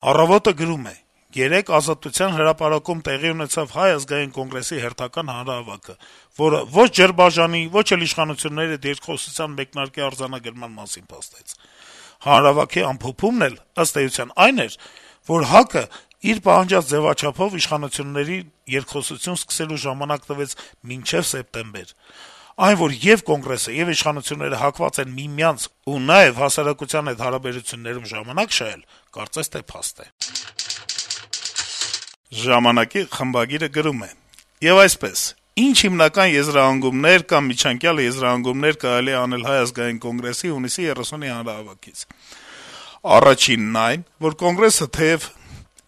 Առավոտը գրում է. - «Երեկ Ազատության հրապարակում տեղի ունեցավ Հայ ազգային կոնգրեսի հերթական հանրահավաքը, որը ոչ Ջրբաժանի, ոչ էլ իշխանությունների հետ երկխոսության մեկնարկի արձանագրման մասին փաստեց: Հանրահավաքի ամփոփումն էլ, ըստ էության, այն էր, որ ՀԱԿ-ը իր պահանջած ձեւաչափով իշխանություններին երկխոսություն սկսելու ժամանակ տվեց մինչեւ սեպտեմբեր: Այն, որ ե'ւ Կոնգրեսը, ե'ւ իշխանությունները հակված են միմյանց ու նաեւ հասարակության հետ հարաբերություններում ժամանակ շահել, կարծես թե փաստ է»: «Ժամանակ»-ի խմբագիրը գրում է. - «Եվ այսպես, ինչ հիմնական եզրահանգումներ կամ միջանկյալ եզրահանգումներ կարելի է անել Հայ ազգային կոնգրեսի հունիսի 30-ի հանրահավաքից: Առաջինն այն, որ Կոնգրեսը թեեւ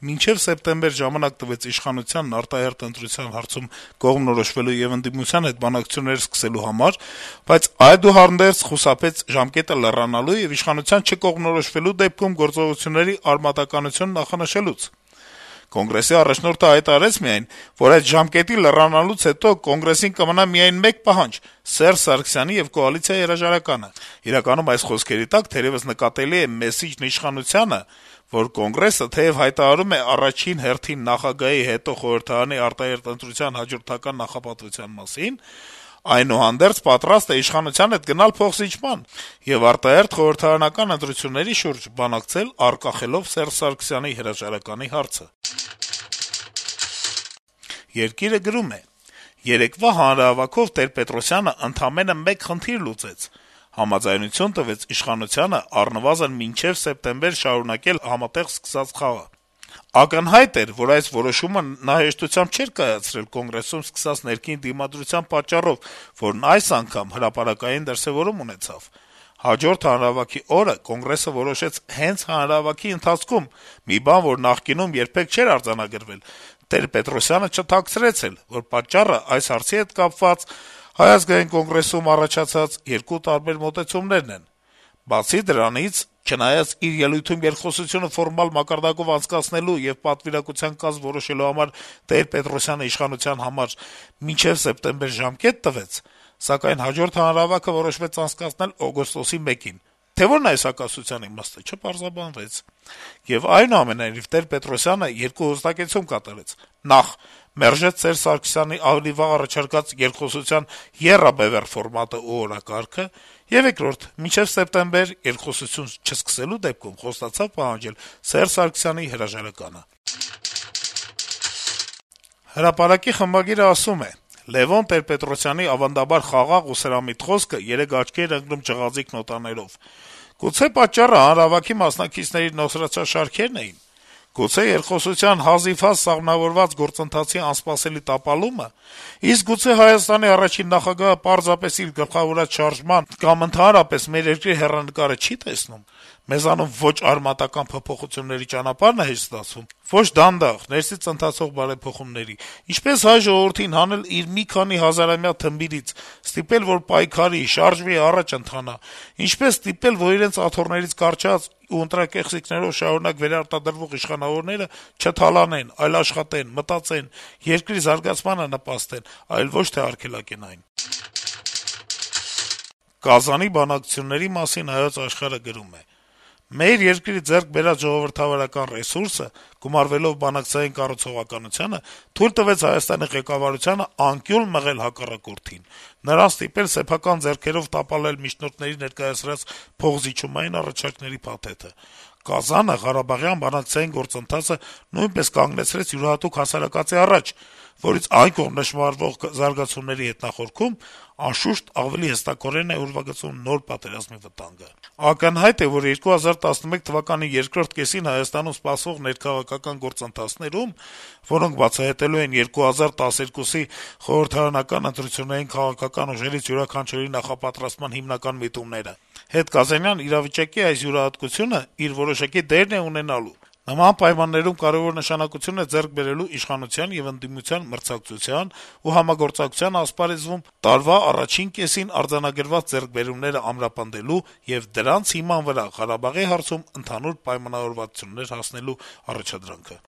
մինչեւ սեպտեմբեր ժամանակ տվեց իշխանությանն արտահերթ ընտրության հարցում կողմնորոշվելու եւ ընդդիմության հետ բանակցություններ սկսելու համար, բայց այդուհանդերձ խուսափեց ժամկետը լեռանալու եւ իշխանության չկողմնորոշվելու դեպքում գործողությունների արմատականություն նախանշելուց: Կոնգրեսի առաջնորդը հայտարարեց միայն, որ այդ ժամկետի լեռանալուց հետո Կոնգրեսին կմնա միայն մեկ պահանջ` Սերժ Սարգսյանի եւ կոալիցիայի հրաժարականը: Իրականում այս խոսքերի տակ թերեւս նկատելի է մեսիջն իշխանությանը, որ Կոնգրեսը թեեւ հայտարարում է առաջին հերթին նախագահի, հետո խորհրդարանի արտահերթ ընտրության հաջորդական նախապատվության մասին, այնուհանդերձ պատրաստ է իշխանության հետ գնալ փոխզիջման եւ արտահերթ խորհրդարանական ընտրությունների շուրջ բանակցել` արգախելով Սերժ Սարգսյանի հրաժարականի հարցը»: «Երկիր»-ը գրում է. - «Երեկվա հանրահավաքով Տեր-Պետրոսյանը ընդամենը մեկ խնդիր լուծեց. համաձայնություն տվեց իշխանությանը առնվազն մինչեւ սեպտեմբեր շարունակել համատեղ սկսած խաղը: Ակնհայտ էր, որ այս որոշումը նա հեշտությամբ չէր կայացրել Կոնգրեսում սկսած ներքին դիմադրության պատճառով, որն այս անգամ հրապարակային դրսեւորում ունեցավ: Հաջորդ հանրահավաքի օրը Կոնգրեսը որոշեց հենց հանրահավաքի ընթացքում մի բան, որ նախկինում երբեք չէր արձանագրվել. Տեր-Պետրոսյանը չթաքցրեց էլ, որ պատճառը այս հարցի հետ կապված ՀԱԿ-ում առաջացած երկու տարբեր մոտեցումներն են: Բացի դրանից, չնայած իր ելույթում երկխոսությունը ֆորմալ մակարդակով անցկացնելու եւ պատվիրակության կազմ որոշելու համար Տեր-Պետրոսյանը իշխանության համար մինչեւ սեպտեմբեր ժամկետ տվեց, սակայն հաջորդ հանրահավաքը որոշվեց անցկացնել օգոստոսի 1-ին: Թե որն է այս հակասության իմաստը, չպարզաբանվեց: Եվ այնուամենայնիվ, Տեր-Պետրոսյանը երկու հստակեցում կատարեց. նախ` մերժեց Սերժ Սարգսյանի ավելի վաղ առաջարկած երկխոսության եռաբեւեռ ֆորմատը ու օրակարգը, եւ երկրորդ` մինչեւ սեպտեմբեր երկխոսություն չսկսելու դեպքում խոստացավ պահանջել Սերժ Սարգսյանի հրաժարականը»: «Հրապարակ»-ի խմբագիրը ասում է. - «Լեւոն Տեր-Պետրոսյանի ավանդաբար խաղաղ ու սրամիտ խոսքը երեկ աչքի էր ընկնում ջղաձիկ նոտաներով: Գուցե պատճառը հանրահավաքի մասնակիցների նոսրացած շարքերն էին: Գուցե երկխոսության հազիվհազ սահմանավորված գործընթացի անսպասելի տապալումը: Իսկ գուցե Հայաստանի առաջին նախագահը պարզապես իր գլխավորած շարժման կամ ընդհանրապես մեր երկրի հեռանկարը չի տեսնում: Մեզանում ոչ արմատական փոփոխությունների ճանապարհն է հեշտ ստացվում, ոչ դանդաղ, ներսից ընթացող բարեփոխումների: Ինչպե՞ս հայ ժողովրդին հանել իր մի քանի հազարամյա թմբիրից, ստիպել, որ պայքարի, շարժվի, առաջ ընթանա: Ինչպե՞ս ստիպել, որ իրենց աթոռներից կառչած ու ընտրակեղծիքներով շարունակ վերարտադրվող իշխանավորները չթալանեն, այլ աշխատեն, մտածեն, երկրի զարգացմանը նպաստեն, այլ ոչ թե արգելակեն այն»: Կազանի բանակցությունների մասին «Հայոց Աշխարհ»-ը գրում է. - «Մեր երկրի ձեռք բերած ժողովրդավարական ռեսուրսը, գումարվելով բանակցային կառուցողականությանը, թույլ տվեց Հայաստանի ղեկավարությանը անկյուն մղել հակառակորդին, նրան ստիպել սեփական ձեռքերով տապալել միջնորդների ներկայացրած փոխզիջումային առաջարկների փաթեթը: Կազանը ղարաբաղյան բանակցային գործընթացը նույնպես կանգնեցրեց յուրահատուկ հասարակածի առաջ, որից այն կողմ նշմարվող զարգացումների հետնախորքում, անշուշտ, ավելի հստակորեն է ուրվագծում նոր պատերազմի վտանգը: Ակնհայտ է, որ 2011 թվականի երկրորդ կեսին Հայաստանում սպասվող ներքաղաքական գործընթացներում, որոնք բացահայտելու են 2012-ի խորհրդարանական ընտրություններին քաղաքական ուժերից յուրաքանչյուրի նախապատրաստման հիմնական միտումները, հետկազանյան իրավիճակի այս յուրահատկությունը իր որոշակի դերն է ունենալու: Նման պայմաններում կարեւոր նշանակություն է ձեռք բերելու իշխանության եւ ընդդիմության մրցակցության ու համագործակցության ասպարեզում տարվա առաջին կեսին արձանագրված ձեռքբերումները ամրապնդելու եւ դրանց հիման վրա Ղարաբաղի հարցում ընդհանուր պայմանավորվածություններ հասնելու առաջադրանքը»: